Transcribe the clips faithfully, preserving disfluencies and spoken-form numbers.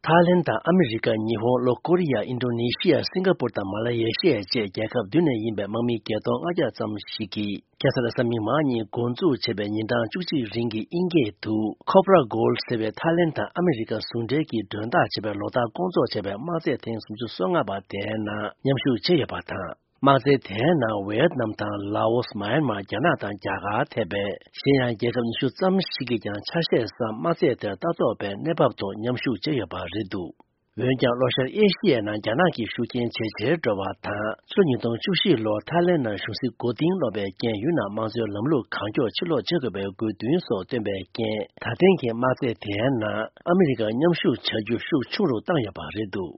ཐའི་ལེན་དང་ཨ་མི་རི་ཀ། ཉི་ཧོང་། ལྷོ་ཀོ་རི་ཡ། ཨིན་ཌོ་ནེ་ཤི་ཡ། སིང་ག་པུར་དང་མ་ལ་ཡེ་ཤི་ཡ་བཅས་རྒྱལ་ཁབ་བདུན་ནས་ཡིན་པའི་དམག་མི་བརྒྱད་སྟོང་ལྔ་བརྒྱ་ཙམ་ཞིག་གིས། ཁ་སང་རེས་གཟའ་མིག་དམར་ཉིན་འགོ་འཛུགས་བྱས་པའི་ཉིན་གྲངས་བཅུ་གཅིག་རིང་གི་དབྱིན་སྐད་དུ་Cobra Gold ཟེར་བའི་ཐའི་ལེན་དང་ཨ་མི་རི་ཀ་ཟུང་འབྲེལ་གྱིས་མགྲོན་བདག་བྱས་པའི་ལོ་ལྟར་སྐོང་ཚོགས་བྱས་པའི་དམག་རྩེད་ཐེངས་སུམ་ཅུ་སོ་ལྔ་པ་དེའི་ནང་མཉམ་ཞུགས་བྱས་ཡོད་པ་དང་། དམག་རྩེད་དེའི་ནང་ཝེ་ཡེད་ནམ་དང་། ལའོ་སི། མཱ་ཡན་མར། རྒྱ་ནག་དང་རྒྱ་གར་ཐེ་བའི་གཞན་ཡང་རྒྱལ་ཁབ་ཉི་ཤུ་ཙམ་ཞིག་གིས་ཀྱང་ཆ་ཤས་སམ་དམག་རྩེད་དེར་ལྟ་རྟོག་པའི་གནས་བབ་ཐོག་མཉམ་ཞུགས་བྱས་ཡོད་པ་རེད་འདུག་འོན་ཀྱང་། ལྷོ་ཤར་ཨེ་ཤི་ཡའི་ནང་རྒྱ་ནག་གི་ཤུགས་རྐྱེན་ཇེ་ཆེར་འགྲོ་བ་དང་། ཕྱི་ལོ་ཉིས་སྟོང་བཅུ་བཞི་ལོར་ཐའི་ལེན་ནང་གཞུང་སྲིད་མགོ་རྟིང་སློག་པའི་རྐྱེན། ཡུལ་ནང་དམངས་གཙོའི་ལམ་ལུགས་གང་མགྱོགས་ཕྱིར་ལོག་བྱེད་དགོས་པའི་དགོས་འདུན་སོགས་བཏོན་པའི་རྐྱེན། ད་ཐེངས་ཀྱི་དམག་རྩེད་དེའི་ནང་ཨ་མི་རི་ཀ་མཉམ་ཞུགས་བྱ་རྒྱུ་ཤུགས་ཆུང་རུ་བཏང་ཡོད་པ་རེད་འདུག་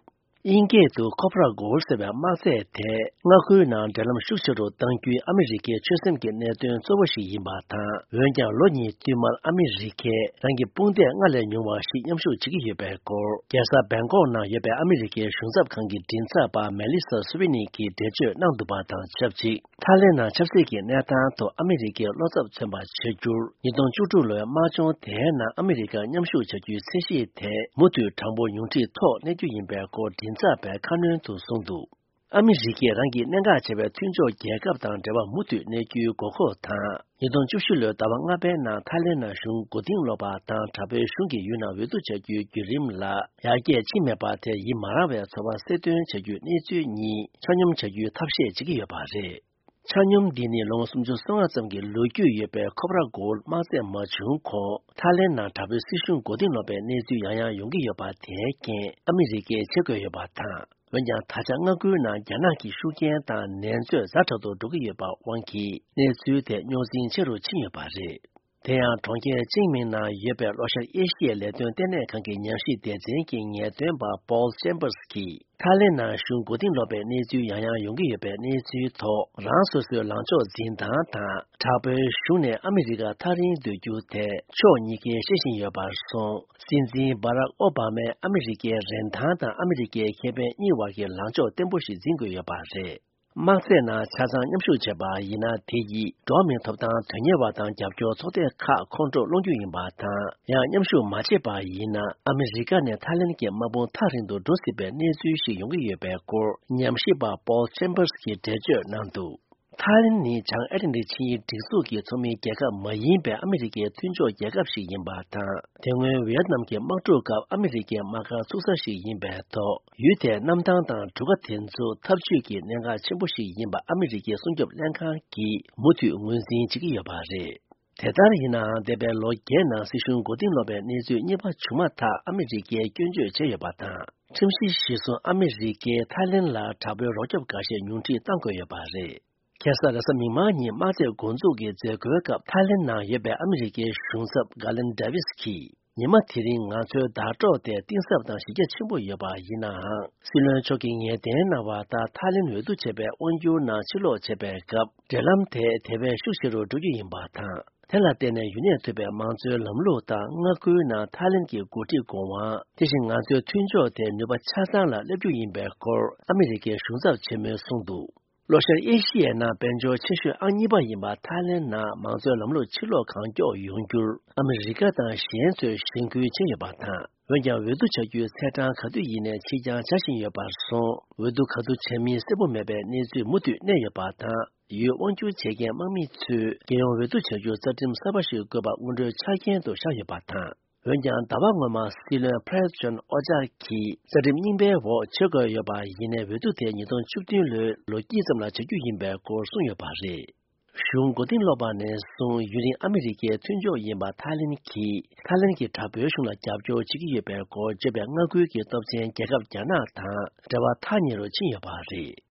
དབྱིན་སྐད་དུ་Cobra Gold ཟེར་བའི་དམག་རྩེད་དེ། མངའ་ཁུལ་ནང་འབྲེལ་ལམ་ཤུགས་ཆེ་རུ་གཏང་རྒྱུའི་ཨ་མི་རི་ཀའི་ཆོད་སེམས་ཀྱི་གནད་དོན་གཙོ་བོ་ཞིག་ཡིན་པ་དང་། འོན་ཀྱང་། ལོ་གཉིས་བསྟུད་མར་ཨ་མི་རི་ཀས་རང་གི་དཔུང་སྡེ་སྔར་ལས་ཉུང་བ་ཞིག་མཉམ་ཞུགས་བྱེད་ཀྱི་ཡོད་པའི་སྐོར། རྒྱལ་ས་བེང་ཀོག་ནང་ཡོད་པའི་ཨ་མི་རི་ཀའི་གཞུང་ཚབ་ཁང་གི་མགྲིན་ཚབ་པ་མེ་ལི་ས་སུ་ཝི་ནི་གིས་འགྲེལ་བརྗོད་གནང་འདུག་པ་དང་ཆབས་ཅིག་ཐའི་ལེན་ནང་ཆབ་སྲིད་ཀྱི་གནས་སྟངས་ཐོག་ཨ་མི་རི་ཀས་བློ་འཚབ་མཚོན་པ་བྱ་རྒྱུར། ཉིས་སྟོང་བཅུ་དྲུག་ལོའི་དམག་སྦྱོང་དེའི་ནང་ཨ་མི་རི་ཀ་མཉམ་ཞུགས་བྱ་རྒྱུའི་ཚད་གཞི་དེ་མུ་མཐུད་གྲངས་འབོར་ཉུང་འཕྲིའི་ཐོག་གནས་རྒྱུ་ཡིན་པའི་སྐོར་མགྲིན་ཚབ་པས་ཁ་སྣོན་དུ་གསུངས་འདུག་ཨ་མི་རི་ཀས་རང་གིས་གནད་འགག་ཆེ་བའི་མཐུན་ཕྱོགས་རྒྱལ་ཁབ་དང་འབྲེལ་བ་མུ་མཐུད་གནས་རྒྱུའི་དགོས་མཁོ་དང་། ཉིས་སྟོང་བཅུ་བཞི་ལོའི་ཟླ་བ་ལྔ་པའི་ནང་ཐའི་ལེན་ནང་གཞུང་མགོ་རྟིང་སློག་པ་དང་། དྲག་པོའི་གཞུང་གིས་ཡུལ་ནང་འོས་བསྡུ་བྱ་རྒྱུའི་བརྒྱུད་རིམ་ལ་ཡར་རྒྱས་ཕྱིན་མེད་པ་དེར་ཡིད་མ་རངས་པའི་ཚོར་བ་གསལ་སྟོན་བྱ་རྒྱུའི་གནས་ཚུལ་གཉིས་ཆ་སྙོམས་བྱ་རྒྱུའི་ཐབས་ཤེས་བྱེད་ཀྱི་ཡོད་པ་རེད། ཆ་སྙོམས་འདི་ནི་ལོ་ངོ་སུམ་ཅུ་སོ་ལྔ་ཙམ་གྱི་ལོ་རྒྱུས་ཡོད་པའི་Cobra Gold དམག་རྩེད་མ་བྱུང་གོང་། ཐའི་ལེན་ནང་དྲག་པོའི་སྲིད་གཞུང་མགོ་རྟིང་སློག་པའི་གནས་ཚུལ་ཡང་ཡང་ཡོང་གི་ཡོད་པ་དེའི་རྐྱེན་ཨ་མི་རི་ཀས་བྱེད་དགོས་ཡོད་པ་དང་། འོན་ཀྱང་། ད་ཆ་མངའ་ཁུལ་ནང་རྒྱ་ནག་གི་ཤུགས་རྐྱེན་དང་ནད་མཛོད་ཛ་དྲག་ཏུ་འགྲོ་གི་ཡོད་པ་དབང་གིས་གནས་ཚུལ་དེ་རྙོག་འཛིང་ཆེ་རུ་ཕྱིན་ཡོད་པ་རེད། དེ་ཡང་། གྲོང་ཁྱེར་ཅིང་མིང་ནང་ཡོད་པའི་ལྷོ་ཤར་ཨེ་ཤི་ཡའི་ལས་དོན་ལྟེ་གནས་ཁང་གི་ཉམས་ཞིབ་སྡེ་ཚན་གྱི་ངེས་སྟོན་པ་Paul Chambers གྱིས། ཐའི་ལེན་ནང་གཞུང་མགོ་རྟིང་སློག་པའི་གནས་ཚུལ་ཡང་ཡང་ཡོང་གི་ཡོད་པའི་གནས་ཚུལ་ཐོག་རང་སོ་སོའི་ལངས་ཕྱོགས་འཛིན་སྟངས་དང་། དྲག་པོའི་གཞུང་ནས་ཨ་མི་རི་ཀ་ཐག་རིང་སྡོད་རྒྱུ་དེ་ཕྱོགས་གཉིས་ཀས་ཤེས་བཞིན་ཡོད་པར་སོང་། སྲིད་འཛིན་Barack Obama ཨ་མི་རི་ཀའི་རིན་ཐང་དང་ཨ་མི་རི་ཀའི་ཁེ་ཕན་གཉིས་བར་གྱི་ལངས་ཕྱོགས་བརྟན་པོ་ཞིག་འཛིན་དགོས་ཡོད་པ་རེད། དམག་རྩེད་ནང་ཆ་ཚང་མཉམ་ཞུགས་བྱས་པ་ཡིན་ན། དེ་ཡིས་འགྲོ་བ་མིའི་ཐོབ་ཐང་དོན་གཉེར་བ་དང་རྒྱབ་སྐྱོར་ཚོགས་སྡེ་ཁག་ཁོང་ཁྲོ་སློང་རྒྱུ་ཡིན་པ་དང་། ཡང་མཉམ་ཞུགས་མ་བྱས་པ་ཡིན་ན། ཨ་མི་རི་ཀ་ནས་ཐའི་ལེན་གྱི་དམག་དཔུང་ཐག་རིང་དུ་འགྲོ་སྲིད་པའི་གནས་ཚུལ་ཞིག་ཡོང་གི་ཡོད་པའི་སྐོར་ཉམས་ཞིབ་པ་Paul Chambers གྱིས་འགྲེལ་བརྗོད་གནང་འདུག་ཐའི་ལེན་ནི་བྱང་ཨེ་ཊ་ལན་ཊིག་ཆིངས་ཡིག་སྒྲིག་འཛུགས་ཀྱི་ཚོགས་མིའི་རྒྱལ་ཁབ་མ་ཡིན་པའི་ཨ་མི་རི་ཀའི་མཐུན་ཕྱོགས་རྒྱལ་ཁབ་ཞིག་ཡིན་པ་དང་། དེ་སྔོན་ཝི་ཡེད་ནམ་གྱི་དམག་འཁྲུག་སྐབས་ཨ་མི་རི་ཀའི་དམག་སྒར་ཚུགས་ས་ཞིག་ཡིན་པའི་ཐོག་ཡུལ་དེའི་གནམ་ཐང་དང་གྲུ་ཁ་དེ་ཚོ་འཐབ་ཇུས་ཀྱི་གནད་འགག་ཆེན་པོ་ཞིག་ཡིན་པ་ཨ་མི་རི་ཀའི་སྲུང་སྐྱོབ་ལྷན་ཁང་གིས་མུ་མཐུད་ངོས་འཛིན་བྱེད་ཀྱི་ཡོད་པ་རེད། དེ་ལྟར་ཡིན་ནའང་། འདས་པའི་ལོ་བརྒྱད་ནང་སྲིད་གཞུང་མགོ་རྟིང་སློག་པའི་གནས་ཚུལ་གཉིས་པ་བྱུང་མ་ཐག་ཨ་མི་རི་ཀས་སྐྱོན་བརྗོད་བྱས་ཡོད་པ་དང་། ཁྲིམས་གཞི་གཞིར་བཟུང་ཨ་མི་རི་ཀས་ཐའི་ལེན་ལ་དྲག་པོའི་རོགས་སྐྱོབ་འགའ་ཤས་ཉུང་འཕྲི་གཏང་དགོས་ཡོད་པ་རེད། ཁ་སང་རེས་གཟའ་མིག་དམར་ཉིན་དམག་རྩེད་འགོ་འཛུགས་ཀྱི་མཛད་སྒོའི་སྐབས་ཐའི་ལེན་ནང་ཡོད་པའི་ཨ་མི་རི་ཀའི་གཞུང་ཚབ་Garland Davis གྱིས། ཉི་མ་དེ་རིང་ང་ཚོའི་ཟླ་གྲོགས་དེ་གཏིང་ཟབ་དང་གཞི་རྒྱ་ཆེན་པོ་ཡོད་པ་ཡིན་ནའང་། སྲིད་བློན་མཆོག་གིས་ངེས་གཏན་གནང་བ་ལྟར་ཐའི་ལེན་འོས་བསྡུ་བྱས་པའི་དབང་སྒྱུར་ནང་ཕྱིར་ལོག་བྱེད་པའི་སྐབས། འབྲེལ་ལམ་དེ་དེ་བས་ཤུགས་ཆེ་རུ་འགྲོ་རྒྱུ་ཡིན་པ་དང་། དེ་ལ་བརྟེན་ནས་ཡུན་གནས་ཐུབ་པའི་མང་གཙོའི་ལམ་ལུགས་དང་མངའ་ཁུལ་ནང་ཐའི་ལེན་གྱི་འགོ་ཁྲིད་དགོས་དབང་། དེ་བཞིན་ང་ཚོའི་མཐུན་ཕྱོགས་དེ་ནུས་པ་ཆ་ཚང་ལ་སླེབས་རྒྱུ་ཡིན་པའི་སྐོར་ཨ་མི་རི་ཀའི་གཞུང་ཚབ་ཆེན་མོས་གསུངས་འདུག་ལྷོ་ཤར་ཨེ་ཤི་ཡའི་ནང་དཔལ་འབྱོར་ཆེ་ཤོས་ཨང་གཉིས་པ་ཡིན་པ་ཐའི་ལེན་ནང་མང་གཙོའི་ལམ་ལུགས་ཕྱིར་ལོག་གང་མགྱོགས་ཡོང་རྒྱུར་ཨ་མི་རི་ཀ་དང་གཞན་ཚོས་གཞེན་སྐུལ་བྱས་ཡོད་པ་དང་། འོན་ཀྱང་། འོས་བསྡུ་བྱ་རྒྱུའི་ཚེས་གྲངས་ག་དུས་ཡིན་ནའི་ཕྱིར་འགྱངས་བྱ་བཞིན་ཡོད་པར་སོང་། འོས་བསྡུ་ག་དུས་བྱ་མིན་གསལ་པོ་མེད་པའི་གནས་ཚུལ་མུ་མཐུད་གནས་ཡོད་པ་དང་། ཡུལ་དབང་སྒྱུར་བྱེད་མཁན་དམག་མི་ཚོས་རྒྱལ་ཡོངས་འོས་བསྡུ་བྱ་རྒྱུར་རྩ་ཁྲིམས་གསར་པ་ཞིག་དགོས་པ་སྔོན་འགྲོའི་ཆ་རྐྱེན་དུ་བཞག་ཡོད་པ་དང་། འོན་ཀྱང་། ཟླ་བ་སྔོན་མ་སྲིད་བློན་Prayut Chan་ཨོ་ཅཱ་གིས་རྩ་ཁྲིམས་རྙིང་པའི་འོག་བྱེད་དགོས་ཡོད་པ་ཡིན་ནའི། འོས་བསྡུ་དེ་ཉིས་སྟོང་བཅུ་བདུན་ལོའི་ལོ་དཀྱིལ་ཙམ་ལ་བྱ་རྒྱུ་ཡིན་པའི་སྐོར་གསུངས་ཡོད་པ་རེད། གཞུང་མགོ་རྟིང་སློག་པ་ནས་བཟུང་ཡུན་རིང་ཨ་མི་རི་ཀའི་མཐུན་ཕྱོགས་ཡིན་པ་ཐའི་ལེན་གྱིས། ཐའི་ལེན་གྱི་དྲག་པོའི་གཞུང་ལ་རྒྱབ་སྐྱོར་བྱེད་ཀྱི་ཡོད་པའི་སྐོར་བརྗོད་པའི་མངའ་ཁུལ་གྱི་སྟོབས་ཆེན་རྒྱལ་ཁབ་རྒྱ་ནག་དང་འབྲེལ་བ་ཐག་ཉེ་རུ་ཕྱིན་ཡོད་པ་རེད།